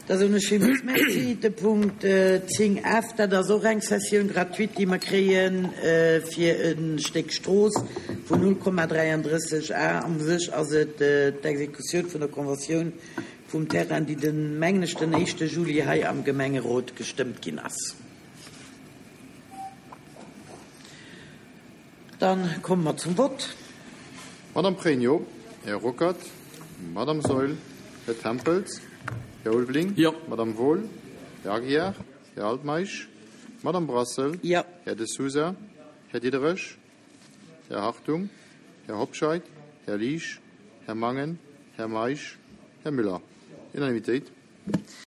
Da soen ech villmools Merci. De Punkt 10 F, dat ass och eng Cessioun gratuite, déi mer kréie fir e Stéck Strooss vun 0,33 Ar. U sech ass et d'Exekutioun vun der Conventioun vum Terrain, déi den, mengen ech, den éischte Juli hei am Gemengerot gestëmmt ginn ass. Dann komme mer zum Vott. Madame Pregno, Här Ruckert, Madame Saeul, Här Tempels, Här Ulveling, Madame Wohl, Här Aguiar, Här Altmeisch, Madame Brassel, Här De Sousa, Här Diderich, Här Hartung, Här Hobscheit, Här Liesch, Här Mangen, Här Meisch, Här Müller. Unanimitéit.